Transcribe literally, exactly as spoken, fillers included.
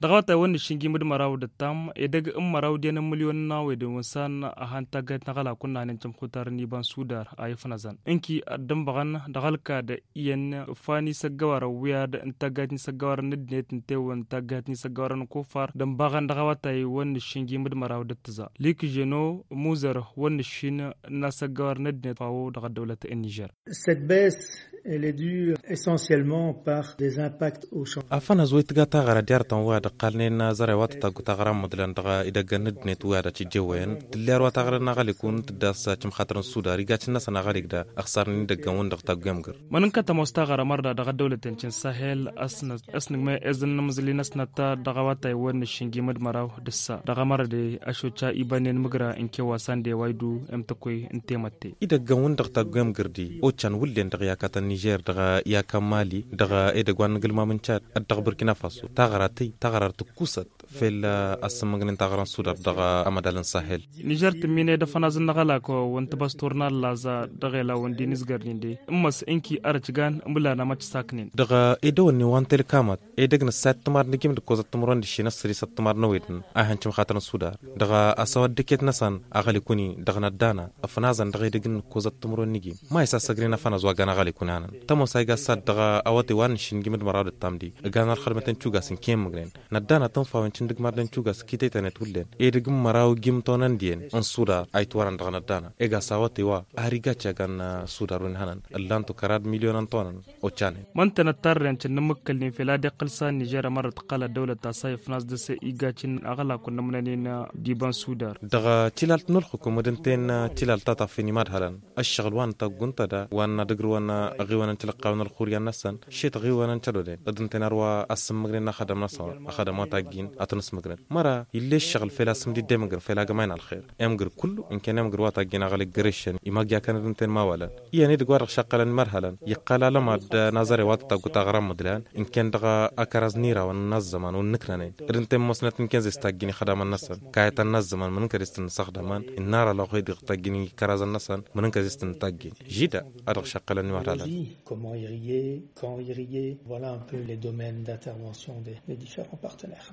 Dăɣ-awătay wăr nǝššǝnjim d-măraw d-ǝttam edăgg n-măraw d-enăn mǝlyon n-awedăn wǝnsan a han taggayt n-aɣălakun n-ahanăn cǝmxutar n-iba n-sudar a ifnăzăn ǝnki ad-dd-ǝnbăɣăn dăɣ-ălkad iyyăn ǝffan isăggăwarăn wi ad-ǝntaggayt n-isăggăwarăn n-ăddinăt ǝnta ewăn ǝntaggayt n-isăggăwarăn n-kofar d-ǝnbăɣăn dăɣ-awătay wăr nǝššǝnjim d-măraw d-ǝttǝza likženo muzăr wăr nǝššin n-asăggăwarăn n-ăddinăt fawo dăɣ-ăddăwlăt n-nižer. Cette baisse elle est due essentiellement par des impacts au change. Afănăz wa itǝga taɣăra diyartăn wa d-ăqqalnen zăre wa tătaggu taɣăra n-măḍlan dăɣ-idăggăn n-ăddinăt wa d-ăcǝjjewăyăn tǝller wa taɣăra n-aɣălikun tǝddas cǝmxatăr n-sudar igacǝn-năsăn aɣălik da ăxsarnen idăggăn-wǝn dăɣ-tagguyăm găr. Mănǝnkăt ămoos taɣăra mărda dăɣ-ăddăwlăten cǝnsahel a-s nǝgmăy eẓǝnnǝmǝẓǝl-i n-ăsnăt dăɣ-awătay wăr nǝššǝnjim d-măraw d-ǝssa dăɣ-amărăde ăšoča ibannen mǝgra ǝnkew wa sandey wa idǝw emtăkkoy n-temătte. Idăggăn-wǝn dăɣ-tagguyăm gărdi occan wǝllen dăɣ-iyakatăn nižer dăɣ-iyakăn mali dăɣ-edăgg wa n-inǝgǝlmam n-cad d-dăɣ-burkina faso taɣăra tăy taɣăra ar tǝkkusăt fel a-s ǝmmǝgnen taɣăra n-sudar dăɣ-amădal n-sahel. Nižer tǝmminăy d-afănaz n-aɣălak wa n-tibăstor n-allaẓa dăɣ-ela wa n-dinǝzgăr-nin de ǝmmăs ǝnki arăcgan ǝmǝlan amăc saknen. Dăɣ-edăwănnin wa n-telkamăt edăgg n-ǝssa i-ăttămar n-ijim d-ǝkkoẓăt timǝrwen d-ǝššin ăssăr-i s-ăttămar n-ewedăn a ihăn cǝmxatăn n-sudar dăɣ-asăwăt dăket-năsăn aɣălikuni dăɣ-năddana ăfnazăn dăɣ-edăgg n-ǝkkoẓăt timǝrwen n-ijim ma isasăgnen afănaz wa gan aɣălikuni anăn tămoos a iga ăssad dăɣ-awătay wa n-ǝššǝnjim d-măraw d-ǝttam di ǝgan ălxădmăt n-cugas ǝnken mǝgnen. Năddana tǝnfawen cǝndǝg mărdăn cugas kităytănet wǝllen edăgg n-măraw ijim tonăn diyen n-sudar a itwărăn dăɣ-năddana iga s-awătay wa har iga căgan sudar wi n-hănăn ǝllan-tu kăra d-milyonăn tonăn. Occanen. Ma ǝnta năttarren cǝnnǝmmǝkkălnen fel ad-iqqǝl sa n-nižer ămărrăt ǝqqăl ăddăwlăt ta s-a ifnas dăr-s iga cǝnn aɣălakun n-ămnănen. D-iba n-sudar. Dăɣ-tilalt n-ǝlxǝkum d-ǝnta-en tilalt ta taffin imadhălăn ăššăɣǝl wa n-taggunt ta da wa n-ad-ǝgrǝwăn aɣiwăn n-tilăqqawăn ălxuryan-năsăn šet aɣiwăn n-cădoden d-ǝnta-en arwa a-s ǝmmǝgnen n-axădăm-năsăn axădăm wa taggin ad-tăn-ǝsmǝgnen măra ill'-e ǝššăɣǝl fel a-s ǝmdidde mǝgrǝ fel agmay n-ălxer. Emgǝr kullu ǝnken emgǝr wa taggin aɣăl iggrešăn imăgg i-akăn d-ǝnta-en mawălăn iyyăn edăgg wa dăɣ-šaqqălăn imărhălăn iqqăl alămad n-azăre wa tătaggu taɣăra n-imǝḍlan ǝnken dăɣ-akăraz n-irawăn n-azzăman wa n-inǝknănen d-ǝnta-en mosnăt ǝnken zes taggin ixădamăn-năsăn kayătăn n-azzăman mǝnǝnkăd i-s tăn-nǝsăxdămăn innarălăɣ wa i-dăɣ taggin ikărazăn-năsăn mǝnǝnkăd i-s tăn-nǝtaggin žida. A dăɣ-šăqqălăn imărhălăn. Comment irriguer, quand irriguer, voilà un peu les domaines d'intervention des différents partenaires.